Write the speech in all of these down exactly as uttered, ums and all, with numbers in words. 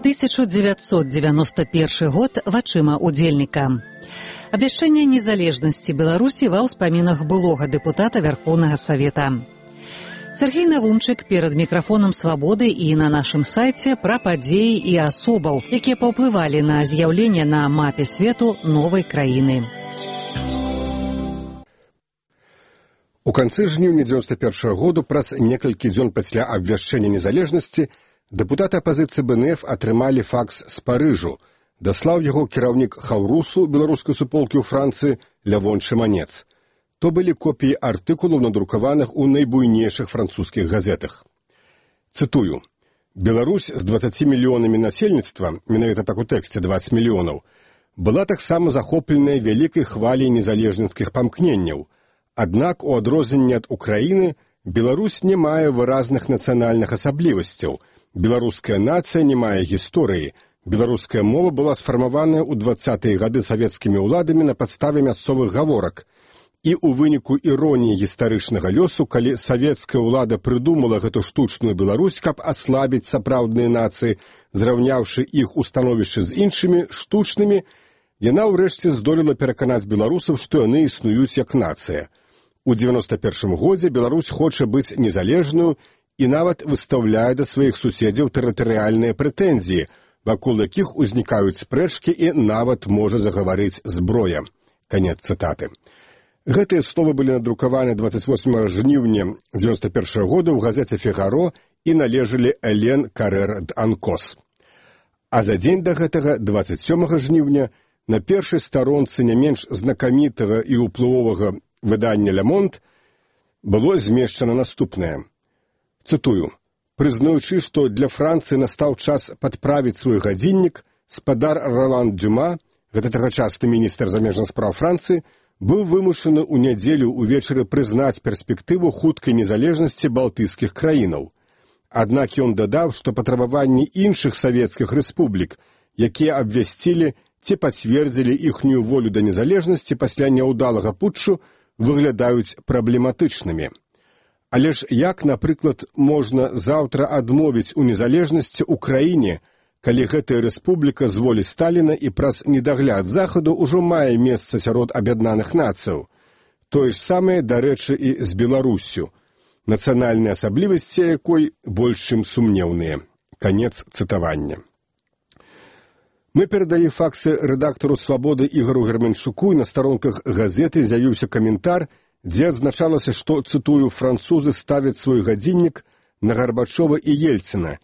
тысяча девятьсот девяносто первый год вачыма удзельніка. Абвяшчэнне незалежнасці Беларусі ва ўспамінах былога дэпутата Вярхоўнага Савета. Сергей Навумчык перад мікрафонам «Свабоды» і на нашым сайце пра падзеі і асобаў, якія паўплывалі на з'яўленне на мапе свету новай краіны. У канцы жніўня дзевяносто першага году, праз некалькі дзён пасля абвяшчэння незалежнасці, дэпутаты апазіцыі БНФ атрымалі факс з Парыжу. Даслаў яго кіраўнік Хаўрусу беларускай суполкі ў Францыі Лявон Шыманец. То былі копіі артыкулаў, надрукаваных у найбуйнейшых французскіх газетах. Цытую. «Беларусь з дваццаці мільёнамі насельніцтва, менавіта так у тэксце дваццаць мільёнаў, была таксама захопленая вялікай хваляй незалежніцкіх памкненняў. Аднак, у адрозненне ад Украіны, Беларусь не мае выразных нацыянальных асаблівасцяў. Беларуская нацыя не мае гісторыі. Беларуская мова была сфармаваная ў дваццатыя гады савецкімі ўладамі на падставе мясцовых гаворак. І ў выніку іроніі гістарычнага лёсу, калі савецкая ўлада прыдумала гэту штучную Беларусь, каб аслабіць сапраўдныя нацыі, зраўняўшы іх у становішчы з іншымі, штучнымі, яна ўрэшце здолела пераканаць беларусаў, што яны існуюць як нацыя. У дзевяносто першым годзе Беларусь хоча быць незалежную і нават выстаўляе да сваіх суседзяў тэрытарыяльныя прэтэнзіі, вакол якіх узнікаюць спрэчкі і нават можа загаварыць зброя». Канец цытаты. Гэтыя словы былі надрукаваны дваццаць восьмага жніўня дзевяносто першага года ў газеце «Фігаро» і належалі Элен Карэр д'Анкос. А за дзень да гэтага, дваццаць сёмага жніўня, на першай старонцы не менш знакамітага і ўплывовага выдання «Ле Монд» было змешчана наступнае. Цытую. «Прызнаючы, што для Францыі настаў час падправіць свой гадзіннік, спадар Ролан Дюма, гэта тагачасны міністр замежных спраў Францыі, быў вымушаны ў нядзелю ўвечары прызнаць перспектыву хуткай незалежнасці балтыйскіх краінаў. Аднак ён дадаў, што патрабаванні іншых савецкіх рэспублік, якія абвясцілі ці пацвердзілі іхнюю волю да незалежнасці пасля няўдалага путчу, выглядаюць праблематычнымі. Але ж як, напрыклад, можна заўтра адмовіць у незалежнасці ў краіне, калі гэтая рэспубліка з волі Сталіна і праз недагляд Захаду ўжо мае месца сярод аб'яднаных нацыяў? Тое ж самае, дарэчы, і з Беларуссю, нацыянальныя асаблівасці якой больш чым сумнеўныя». Канец цытавання. Мы перадалі факсы рэдактару «Свабоды» Ігору Герменчуку, і на старонках газеты з'явіўся каментар, дзе адзначалася, што, цытую, французы ставяць свой гадзіннік на Гарбачова і Ельцына,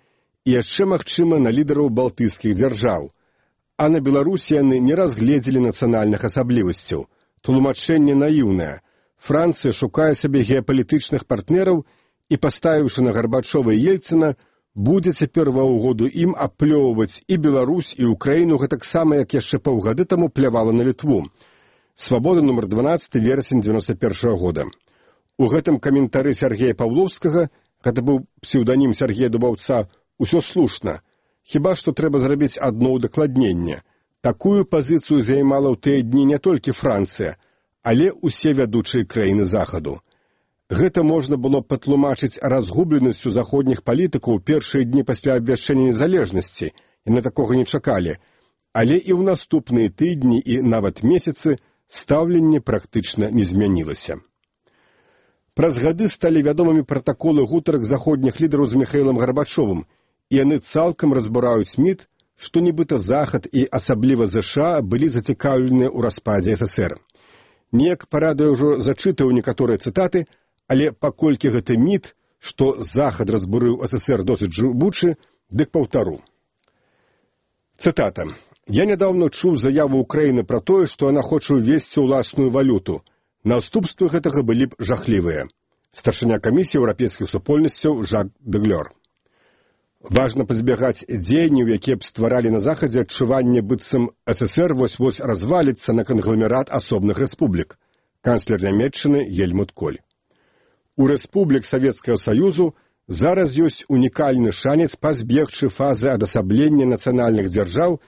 і яшчэ, магчыма, на лідараў балтыйскіх дзяржаў. А на Беларусі яны не разгледзелі нацыянальных асаблівасцяў. Тлумачэнне наіўнае. Францыя шукае сабе геапалітычных партнераў і, паставіўшы на Гарбачова і Ельцына, будзе цяпер ва ўгоду ім аплёўваць і Беларусь, і Украіну гэтаксама, як яшчэ паўгады таму плявала на Літву. «Свабода» нумар дванаццаць, верасень дзевяносто першага года. У гэтым каментары Сергея Паўловскага, гэта быў псеўданім Сергея Дубаўца, усё слушна. Хіба што трэба зрабіць адно ўдакладненне. Такую пазіцыю займала ў тыя дні не толькі Францыя, але ўсе вядучыя краіны Захаду. Гэта можна было патлумачыць разгубленасцю заходніх палітыкаў першыя дні пасля абвяшчэння незалежнасці, яны такога не чакалі, але і ў наступныя тыдні і нават месяцы стаўленне практычна не змянілася. Праз гады сталі вядомымі пратаколы гутарак заходніх лідараў з Міхаілам Гарбачовым, і яны цалкам разбураюць міт, што нібыта Захад і асабліва ЗША былі зацікаўленыя ў распадзе ССР. Неяк парада ўжо зачытаў некаторыя цытаты, але паколькі гэты міт, што Захад разбурыў ССР досыць жывучы, дык паўтару. Цытата. «Я нядаўна чуў заяву Украіны пра тое, што яна хоча ўвесці ўласную валюту. Наступствы гэтага былі б жахлівыя». Старшыня камісіі еўрапейскіх супольнасцяў Жак Деглёр. «Важна пазбягаць дзеянняў, якія б стваралі на Захадзе адчуванне, быццам ССР вось-вось разваліцца на кангламерат асобных рэспублік». Канцлер Нямецчыны Гельмут Коль. У рэспублік Савецкага Саюзу зараз ёсць унікальны шанец пазбегчы фазы адасаблення нацыянальных дзяржаў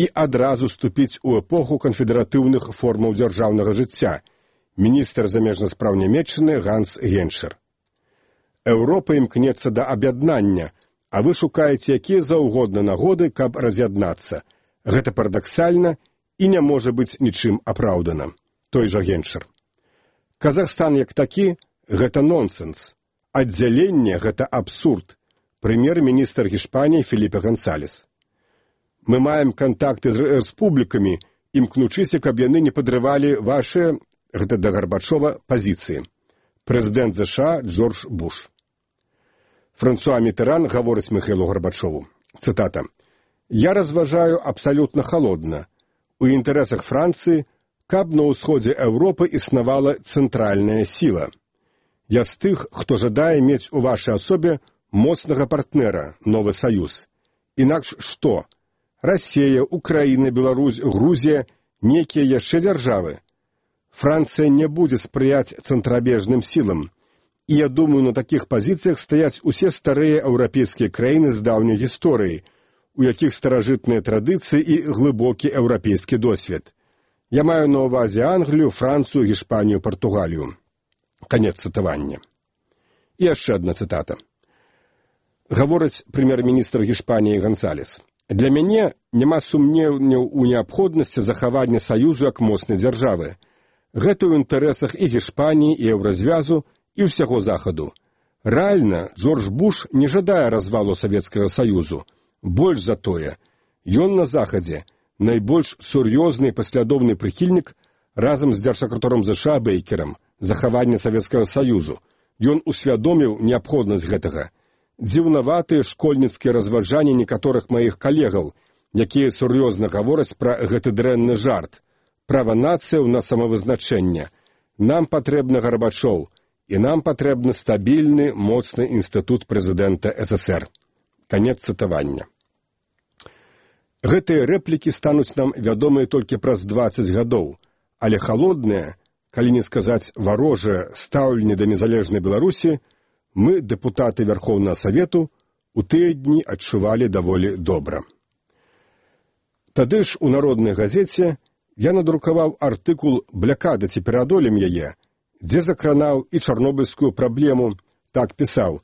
і адразу ступіць у эпоху канфедэратыўных формаў дзяржаўнага жыцця. Міністр замежных спраў Нямецчыны Ганс Геншер. Еўропа імкнецца да аб'яднання, а вы шукаеце якія заўгодна нагоды, каб раз'яднацца. Гэта парадаксальна і не можа быць нічым апраўдана. Той жа Генчар. Казахстан як такі – гэта нонсенс. Аддзяленне – гэта абсурд. Прэм'ер-міністр Гішпаніі Феліпе Гансалес. Мы маем кантакты з рэспублікамі, імкнучыся, каб яны не падрывалі вашыя, гэта да Гарбачова, пазіцыі. Прэзідэнт ЗША Джордж Буш. Франсуа Мітеран гаворыць Міхаілу Гарбачову. Цытата. «Я разважаю абсалютна халодна. У інтарэсах Францыі, каб на ўсходзе Еўропы існавала цэнтральная сіла. Я з тых, хто жадае мець у вашай асобе моцнага партнера, новы саюз. Інакш што? Расія, Украіна, Беларусь, Грузія, некія яшчэ дзяржавы. Францыя не будзе спрыяць цэнтрабежным сілам. І я думаю, на такіх пазіцыях стаяць усе старыя еўрапейскія краіны з даўняй гісторыі, у якіх старажытныя традыцыі і глыбокі еўрапейскі досвед. Я маю на ўвазе Англію, Францыю, Гішпанію, Партугалію». Канец цытавання. І яшчэ адна цытата. Гаворыць прэм'ер-міністр Гішпаніі Гансалес. «Для мяне няма сумневняў у неабходнасці захавання саюзу як моцнай дзяржавы. Гэта ў інтарэсах і Гішпаніі, і Еўразвязу, і ўсяго Захаду. Рэальна, Джордж Буш не жадае развалу Савецкага Саюзу. Больш за тое, ён на Захадзе найбольш сур'ёзны і паслядоўны прыхільнік разам з дзяржсакратаром ЗША Бейкерам захавання Савецкага Саюзу. Ён усвядоміў неабходнасць гэтага. Дзіўнаватыя школьніцкія разважанні некаторых маіх калегаў, якія сур'ёзна гавораць пра гэты дрэнны жарт. Права нацыяў на самавызначэнне. Нам патрэбны Гарбачоў, і нам патрэбны стабільны, моцны інстытут прэзідэнта ССР». Канец цытавання. Гэтыя рэплікі стануць нам вядомыя толькі праз дваццаць гадоў, але халодныя, калі не сказаць варожае стаўленне да незалежнай Беларусі, мы, дэпутаты Вярхоўнага Савету, у тыя дні адчувалі даволі добра. Тады ж у народнай газеце я надрукаваў артыкул «Блякада ці пераадолем яе», дзе закранаў і чарнобыльскую праблему, так пісаў: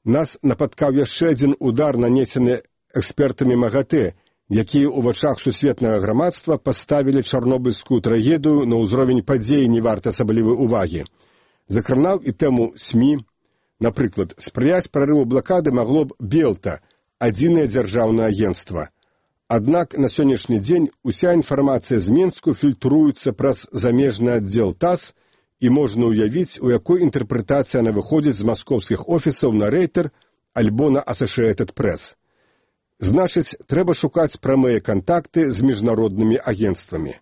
«Нас напаткаў яшчэ адзін удар, нанесены экспертамі МАГАТЭ, якія ў вачах сусветнага грамадства паставілі чарнобыльскую трагедыю на ўзровень падзей не варта асаблівай увагі». Закранаў і тэму СМІ. Напрыклад, спрыяць прарыву блакады магло б Белта, адзінае дзяржаўнае агенцтва. Аднак на сённяшні дзень уся інфармацыя з Менску фільтруецца праз замежны аддзел ТАСС, і можна ўявіць, у якой інтэрпрэтацыі яна выходзіць з маскоўскіх офісаў на Рейтер альбо на Associated Press. Значыць, трэба шукаць прамыя кантакты з міжнароднымі агенцтвамі.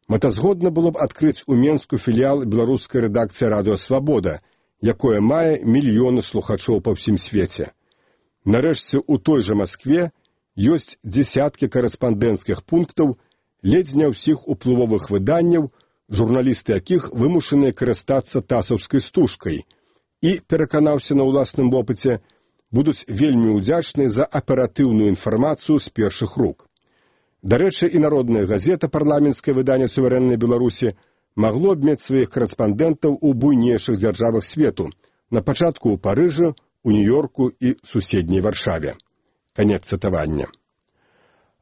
Мэтазгодна было б адкрыць у Менску філіял беларускай рэдакцыі «Радыё Свабода», якое мае мільёны слухачоў па ўсім свеце. Нарэшце, у той жа Маскве ёсць дзесяткі карэспандэнцкіх пунктаў, ледзь не ўсіх уплывовых выданняў, журналісты якіх вымушаныя карыстацца тасаўскай стужкай, і, пераканаўся на ўласным вопыце, будуць вельмі ўдзячныя за аператыўную інфармацыю з першых рук. Дарэчы, і народная газета «Парламенцкае выданне суверэннай Беларусі» магло б мець сваіх карэспандэнтаў у буйнейшых дзяржавах свету, на пачатку ў Парыжы, у Нью-Йорку і суседняй Варшаве. Канец цытавання.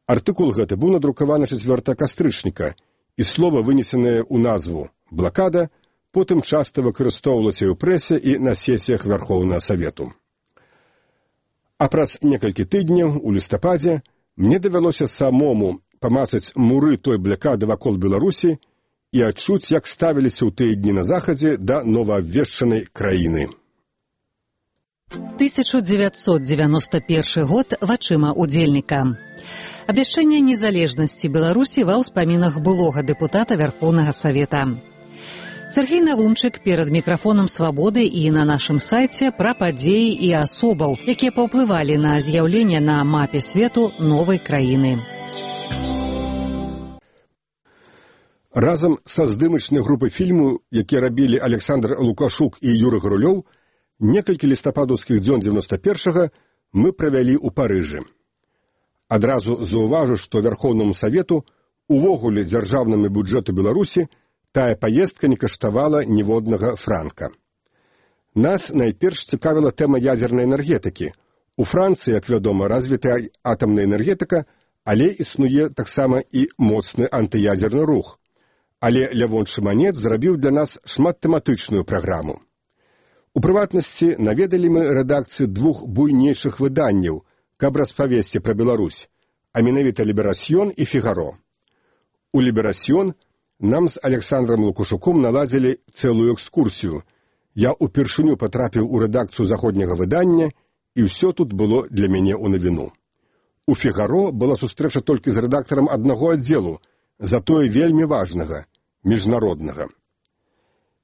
Артыкул гэты быў надрукаваны чацвёртага кастрычніка, і слова, вынесенае ў назву «блакада», потым часта выкарыстоўвалася і ў прэсе, і на сесіях Вярхоўнага Савету. А праз некалькі тыдняў, у лістападзе, мне давялося самому памацаць муры той блакады вакол Беларусі і адчуць, як ставіліся ў тыя дні на Захадзе да новаабвешчанай краіны. тысяча девятьсот девяносто первый год вачыма удзельніка. Абвяшчэнне незалежнасці Беларусі ва ўспамінах былога дэпутата Вярхоўнага Савета. Сергей Навумчык перад мікрафонам «Свабоды» і на нашым сайце пра падзеі і асобаў, якія паўплывалі на з'яўленне на мапе свету новай краіны. Разам са здымачнай групай фільму, які рабілі Александр Лукашук і Юры Гарулёў, некалькі лістападаўскіх дзён дзевяноста першага мы правялі ў Парыжы. Адразу заўважу, што Вярхоўнаму Савету, увогуле дзяржаўнаму бюджэту Беларусі, тая паездка не каштавала ніводнага франка. Нас найперш цікавіла тэма ядзернай энергетыкі, У Францыі, як вядома, развітая атамная энергетыка, але існуе таксама і моцны антыядзерны рух. Але Лявон Шыманец зрабіў для нас шматтэматычную праграму. У прыватнасці наведалі мы рэдакцыю двух буйнейшых выданняў, каб распавесці пра Беларусь, а менавіта «Ліберасьён» і «Фігаро». У «Ліберасьён» нам з Александром Лукашуком наладзілі цэлую экскурсію. Я ўпершыню патрапіў у рэдакцыю заходняга выдання, і ўсё тут было для мяне ў навіну. У «Фігаро» была сустрэча толькі з рэдактарам аднаго аддзелу, затое вельмі важнага, міжнароднага.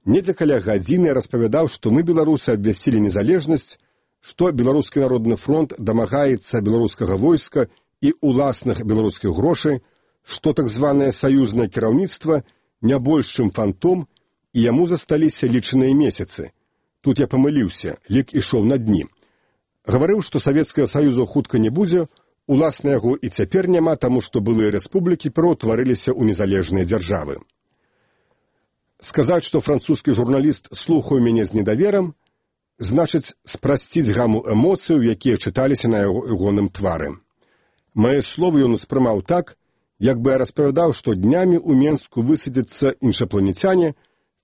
Недзе каля гадзіны распавядаў, што мы, беларусы, абвясцілі незалежнасць, што Беларускі народны фронт дамагаецца беларускага войска і уласных беларускіх грошай, што так званае саюзнае кіраўніцтва не больш, чым фантом, і яму засталіся лічаныя месяцы. Тут я памыліўся, лік ішоў на дні. Гаварыў, што Савецкага Саюзу хутка не будзе, уласна яго і цяпер няма, таму што былыя рэспублікі пераўтварыліся ў незалежныя дзяржавы. Сказаць, што французскі журналіст слухаў мяне з недаверам, значыць спрасціць гаму эмоцыяў, якія чыталіся на ягоным твары. Мае словы ён успрымаў так, як бы я распавядаў, што днямі ў Менску высадзяцца іншапланецяне,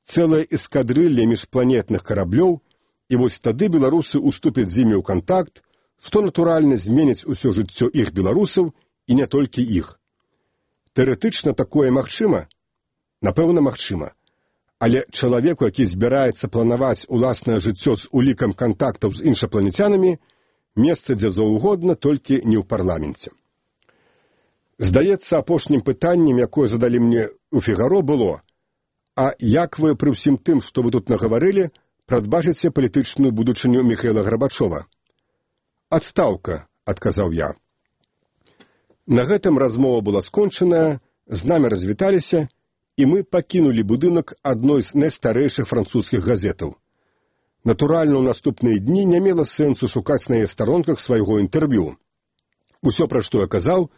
цэлая эскадрылля міжпланетных караблёў, і вось тады беларусы уступяць з імі ў кантакт, што натуральна зменіць усё жыццё іх беларусаў і не толькі іх. Тэарэтычна такое магчыма? Напэўна, магчыма. Але чалавеку, які збіраецца планаваць уласнае жыццё з улікам кантактаў з іншапланецянамі, месца дзе заўгодна, толькі не ў парламенце. Здаецца, апошнім пытаннем, якое задалі мне ў «Фігаро», было: а як вы пры ўсім тым, што вы тут нагаварылі, прадбачыце палітычную будучыню Міхаіла Гарбачова? «Адстаўка», — адказаў я. На гэтым размова была скончаная, з намі развіталіся, і мы пакінулі будынак адной з найстарэйшых французскіх газетаў. Натуральна, ў наступныя дні не мела сэнсу шукаць на яе старонках свайго інтэрв'ю. Усё, пра што я казаў,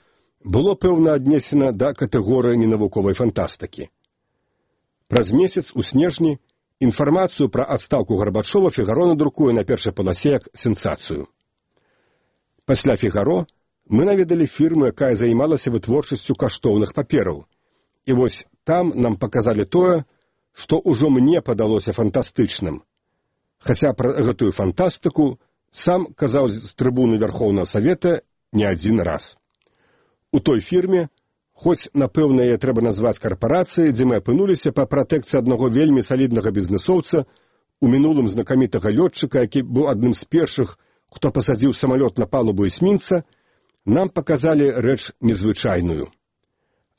было пэўна аднесена да катэгорыі ненавуковай фантастыкі. Праз месяц у снежні інфармацыю пра адстаўку Гарбачова «Фігаро» надрукуе на першай паласе як сенсацыю. Пасля «Фігаро» мы наведалі фірму, якая займалася вытворчасцю каштоўных папераў. І вось там нам паказалі тое, што ўжо мне падалося фантастычным. Хаця пра гэтую фантастыку сам казаў з трыбуны Вярхоўнага Савета не адзін раз. У той фірме, хоць, напэўна, яе трэба назваць карпарацыяй, дзе мы апынуліся па пратэкцыі аднаго вельмі саліднага бізнэсоўца, у мінулым знакамітага лётчыка, які быў адным з першых, хто пасадзіў самалёт на палубу эсмінца, нам паказалі рэч незвычайную.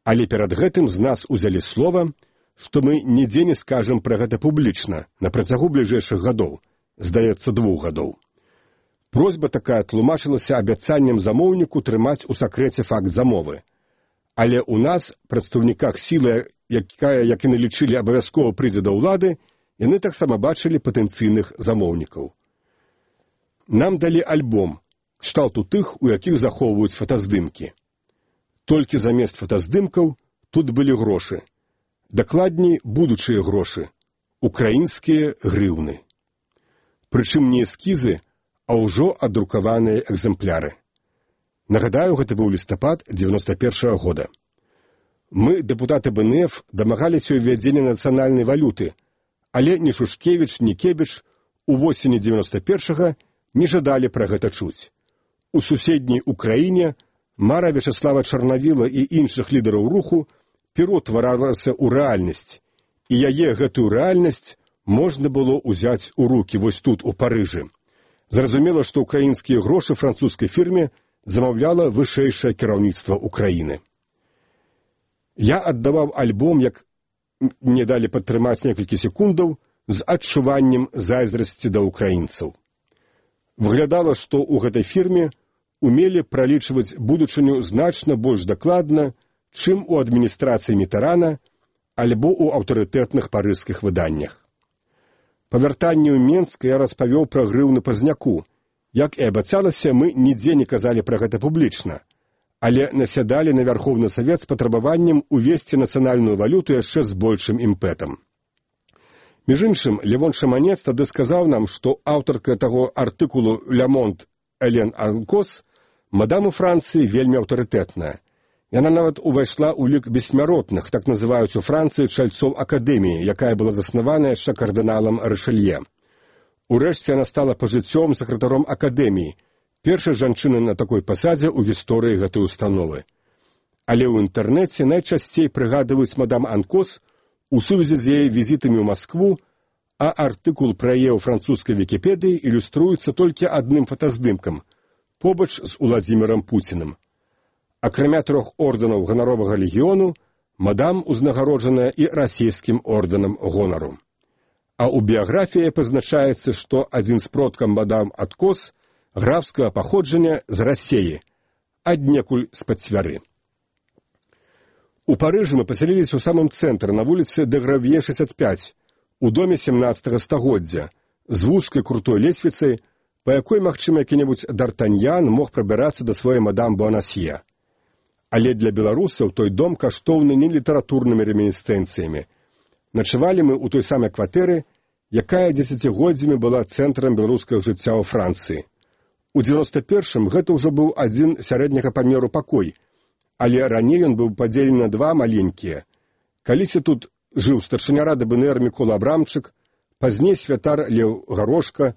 Але перад гэтым з нас узялі слова, што мы нідзе не скажам пра гэта публічна на працягу бліжэйшых гадоў, здаецца, двух гадоў. Просьба такая тлумачылася абяцаннем замоўніку трымаць у сакрэце факт замовы. Але ў нас, прадстаўніках сілы, якая, як і налічылі, абавязкова прыйдзе да ўлады, яны таксама бачылі патэнцыйных замоўнікаў. Нам далі альбом, кшталту тых, у якіх захоўваюць фотаздымкі. Толькі замест фотаздымкаў тут былі грошы. Дакладней, будучыя грошы. Украінскія грыўны. Прычым не эскізы, а ўжо адрукаваныя экземпляры. Нагадаю, гэта быў лістапад дзевяноста першага года. Мы, дэпутаты бэ эн эф, дамагаліся ўвядзення нацыянальнай валюты, але ні Шушкевіч, ні Кебіч у восені дзевяноста першага не жадалі пра гэта чуць. У суседняй Украіне мара Вячаслава Чарнавіла і іншых лідараў руху пераўтваралася ў рэальнасць, і яе гэтую рэальнасць можна было ўзяць у рукі вось тут, у Парыжы. Зразумела, што украінскія грошы французскай фірме замаўляла вышэйшае кіраўніцтва Украіны. Я аддаваў альбом, як мне далі падтрымаць некалькі секундаў, з адчуваннем зайздрасці да украінцаў. Выглядала, што ў гэтай фірме умелі пралічваць будучыню значна больш дакладна, чым у адміністрацыі Мітарана альбо ў аўтарытэтных парыжскіх выданнях. Па вяртанні ў Менск я распавёў пра грыўны Пазняку. Як і абяцалася, мы нідзе не казалі пра гэта публічна, але насядалі на Вярхоўны Савет з патрабаваннем увесці нацыянальную валюту яшчэ з большым імпэтам. Між іншым, Лявон Шыманец тады сказаў нам, што аўтарка таго артыкулу «Ля Монт» Элен Анкос, мадам у Францыі вельмі аўтарытэтная. Яна нават увайшла ў лік бессмяротных, так называюць у Францыі чальцоў акадэміі, якая была заснавана яшчэ кардыналам Рышэлье. Урэшце яна стала пажыццёвым сакратаром акадэміі, першай жанчыны на такой пасадзе ў гісторыі гэтай установы. Але ў інтэрнэце найчасцей прыгадваюць мадам Анкос у сувязі з яе візітамі ў Маскву, а артыкул пра яе ў французскай Вікіпедыі ілюструецца толькі адным фотаздымкам, побач з Уладзімірам Пуцінам. Акрамя трох ордэнаў ганаровага легіёну, мадам узнагароджаная і расійскім ордэнам гонару. А ў біяграфіі пазначаецца, што адзін з продкаў мадам Анкос графскага паходжання з Расеі, аднекуль з-пад Цвяры. У Парыжы мы пасяліліся ў самым цэнтры, на вуліцы дэ Гравье шэсцьдзесят пяць, у доме сямнаццатага стагоддзя, з вузкай крутой лесвіцай, па якой, магчыма, які-небудзь Д'Артаньян мог прабірацца да сваёй мадам Буанасье. Але для беларусаў той дом каштоўны не літаратурнымі ремінісцэнцыямі. Начавалі мы ў той самай кватэры, якая дзесяцігоддзямі была цэнтрам беларускага жыцця ў Францыі. У дзевяноста першым гэта ўжо быў адзін сярэдняга памеру пакой, але раней ён быў падзелены на два маленькія. Калісьці тут жыў старшыня рады БНР Мікола Абрамчык, пазней святар Леў Гарошка,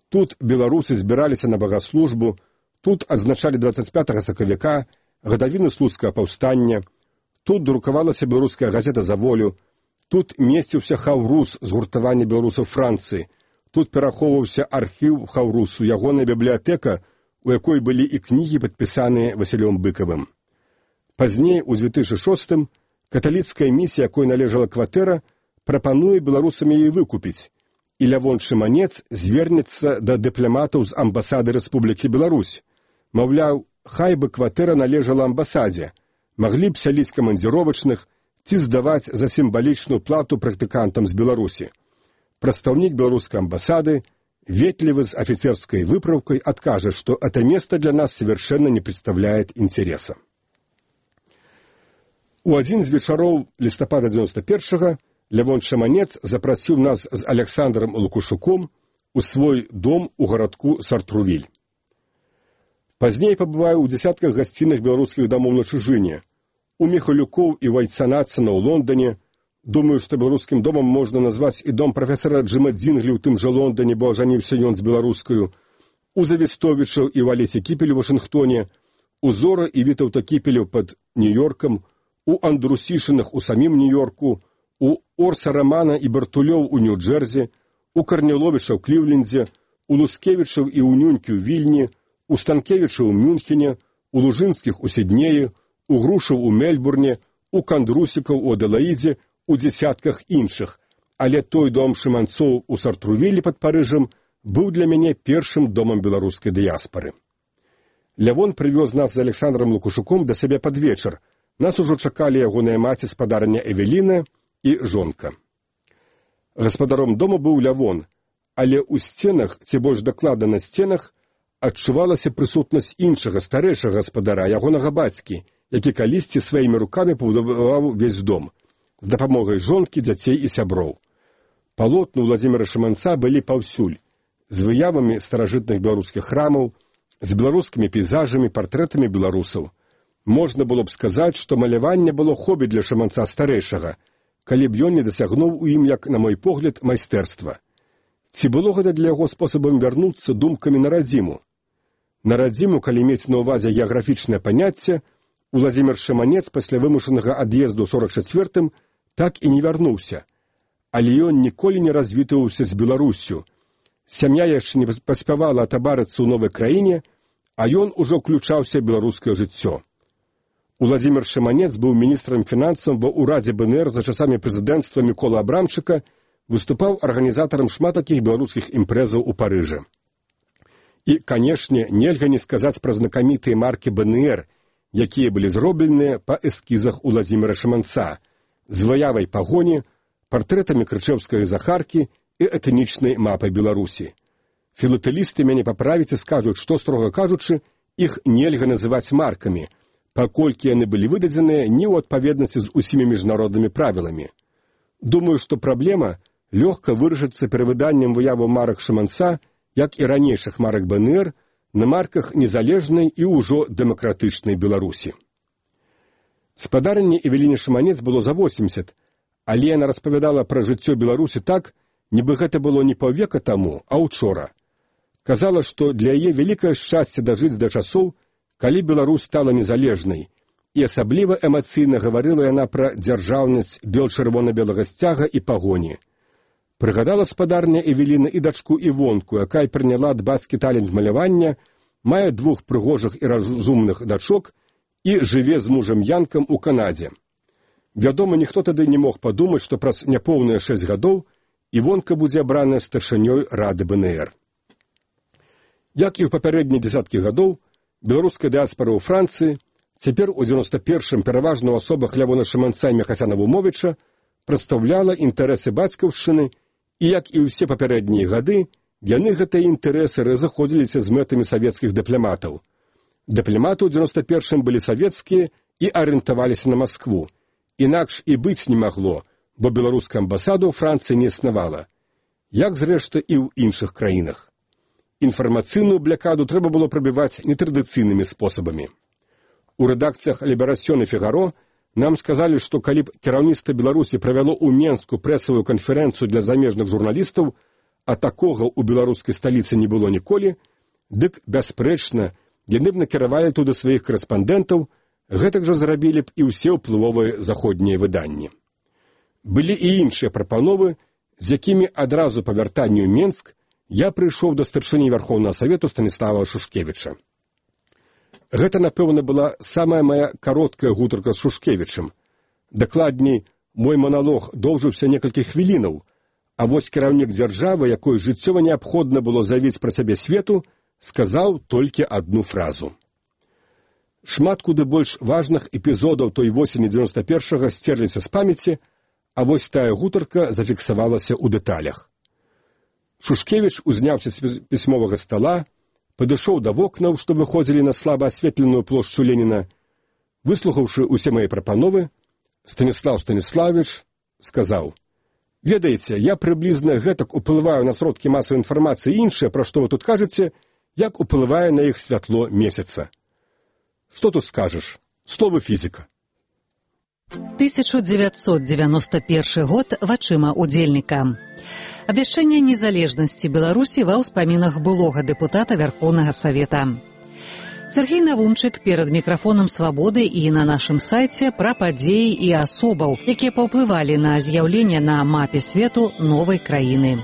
тут беларусы збіраліся на багаслужбу, тут адзначалі дваццаць пятага сакавіка, гадавіны слуцкага паўстання, тут друкавалася беларуская газета «За волю», тут месціўся хаўрус згуртавання беларусаў Францыі, тут перахоўваўся архіў хаўрусу, ягоная бібліятэка, у якой былі і кнігі, падпісаныя Васілём Быкавым. Пазней, у дзве тысячы шостым, каталіцкая місія, якой належала кватэра, прапануе беларусам яе выкупіць, і Лявон Шыманец звернецца да дыпламатаў з амбасады Рэспублікі Беларусь. Маўляў, хай бы кватэра належала амбасадзе, маглі б сяліць камандзіровачных ці здаваць за сімвалічную плату практыкантам з Беларусі. Прадстаўнік беларускай амбасады, ветлівы з афіцерскай выпраўкай, адкажа, што это место для нас совершенно не представляет интереса. У адзін з вечароў лістапада дзевяноста першага Лявон Шыманец запрасіў нас з Александром Лукашуком у свой дом у гарадку Сартрувіль. Пазней пабываю ў дзясятках гасцінных беларускіх дамоў на чужыне, у Міхалюкоў і Вайцанацына ў Лондоне. Думаю, што беларускім домам можна назваць і дом прафесара Джима Дзінглі ў тым жа Лондоне, бо ажаніўся ён з беларускаю, у Завістовічаў і Валесе Кіпелю ў Вашынгтоне, у Зора і Вітаўта Кіпелю пад Нью-Йоркам, у Андрусішынах у самім Нью-Йорку, у Орса Рамана і Бартулёў у Нью-Джерзі, у Карніловіча ў Кліўлендзе, у Лускевічаў і ў Нюнькі ў Вільні, у Станкевіча ў Мюнхене, у Лужынскіх у Сіднеі, у Грушаў у Мельбурне, у Кандрусікаў у Аделаідзе, у дзесятках іншых, але той дом Шыманцоў у Сартрувілі пад Парыжам быў для мяне першым домам беларускай дыяспары. Лявон прывёз нас з Александром Лукашуком да сябе пад вечар. Нас ужо чакалі ягоная маці спадарня Эвеліна і жонка. Гаспадаром дома быў Лявон, але ў сценах, ці больш дакладна на сценах, адчувалася прысутнасць іншага, старэйшага гаспадара, ягонага бацькі, які калісьці сваімі рукамі пабудаваў увесь дом, з дапамогай жонкі, дзяцей і сяброў. Палотны Уладзіміра Шыманца былі паўсюль, з выявамі старажытных беларускіх храмаў, з беларускімі пейзажамі, партрэтамі беларусаў. Можна было б сказаць, што маляванне было хобі для Шыманца старэйшага, калі б ён не дасягнуў у ім, як, на мой погляд, майстэрства. Ці было гэта для яго спосабам вярнуцца думкамі на радзіму? На радзіму, калі мець на ўвазе геаграфічнае паняцце, Уладзімір Шыманец пасля вымушанага ад'езду ў сорак чацвёртым так і не вярнуўся, але ён ніколі не развітваўся з Беларуссю. Сям'я яшчэ не паспявала атабарыцца ў новай краіне, а ён ужо ўключаўся ў беларускае жыццё. Уладзімір Шыманец быў міністрам фінансаў ва ўрадзе БНР за часамі прэзідэнцтва Мікола Абрамчыка, выступаў арганізатарам шмат такіх беларускіх імпрэзаў у Парыжы. І, канешне, нельга не сказаць пра знакамітыя маркі БНР, якія былі зробленыя па эскізах Уладзіміра Шыманца, з выявай пагоні, партрэтамі крычэўскай захаркі і этнічнай мапай Беларусі. Філатэлісты мяне паправяць і скажуць, што, строга кажучы, іх нельга называць маркамі, паколькі яны былі выдадзеныя не ў адпаведнасці з усімі міжнароднымі правіламі. Думаю, што праблема лёгка вырашыцца перавыданнем выяваў марак Шыманца, як і ранейшых марак БНР, на марках незалежнай і ўжо дэмакратычнай Беларусі. Спадарыне Эвеліне Шаманец было за восемьдесят, але яна распавядала пра жыццё Беларусі так, нібы гэта было не паўвека таму, а учора. Казала, што для яе вялікае шчасце дажыць да часоў, калі Беларусь стала незалежнай, і асабліва эмацыйна гаварыла яна пра дзяржаўнасць бел-чырвона-белага сцяга і пагоні. Прыгадала спадарня Эвеліна і дачку Івонку, якая прыняла дбацкі талент малявання, мае двух прыгожых і разумных дачок і жыве з мужам Янкам у Канадзе. Вядома, ніхто тады не мог падумаць, што праз няпоўныя шэсць гадоў Івонка будзе абраная старшынёй Рады бэ эн эр. Як і ў папярэднія дзесяткі гадоў, беларуская дыаспара ў Францыі, цяпер у дзевяноста першым пераважна ў асобах Лявона Шаманца і Мехасяна Вумовіча, прадстаўляла інтарэсы бацькаўшчыны, і, як і ўсе папярэднія гады, яны гэтыя інтарэсы разыходзіліся з мэтамі савецкіх дыпламатаў. Дыпламаты ў дзевяноста першым былі савецкія і арыентаваліся на Маскву. Інакш і быць не магло, бо беларуская амбасада ў Францыі не існавала. Як, зрэшты, і ў іншых краінах. Інфармацыйную блякаду трэба было прабіваць нетрадыцыйнымі спосабамі. У рэдакцыях «Ліберасьён» і «Фігаро» нам сказалі, што калі б кіраўніцтва Беларусі правяло ў Менску прэсавую канферэнцыю для замежных журналістаў, а такога ў беларускай сталіцы не было ніколі, дык, бясспрэчна, яны б накіравалі туды сваіх карэспандэнтаў, гэтак жа зрабілі б і ўсе ўплывовыя заходнія выданні. Былі і іншыя прапановы, з якімі адразу па вяртанню ў Менск я прыйшоў да старшыні Вярхоўнага Савету Станіслава Шушкевіча. Гэта, напэўна, была самая моя кароткая гутарка з Шушкевічам. Дакладней, мой маналог доўжыўся некалькі хвілінаў, а вось кіраўнік дзяржавы, якой жыццёва неабходна было заявіць пра сябе свету, сказаў толькі адну фразу. Шмат куды больш важных эпізодаў той восені дзевяноста першага сцерліся з памяці, а вось тая гутарка зафіксавалася ў дэталях. Шушкевіч узняўся з пісьмовага стала, падышоў да вокнаў, што выходзілі на слаба асветленую плошчу Леніна. Выслухаўшы ўсе мае прапановы, Станіслаў Станіславович сказаў: «Ведаеце, я прыблізна гэтак уплываю на сродкі масавай інфармацыі і іншае, пра што вы тут кажаце, як уплывае на іх святло месяца. Што тут скажаш? Словы фізіка». тысяча девятьсот девяносто первый год вачыма удзельніка. Абвяшчэнне незалежнасці Беларусі ва ўспамінах былога дэпутата Вярхоўнага Савета. Сергей Навумчык перад мікрафонам «Свабоды» і на нашым сайце пра падзеі і асобаў, якія паўплывалі на з'яўленне на мапе свету новай краіны.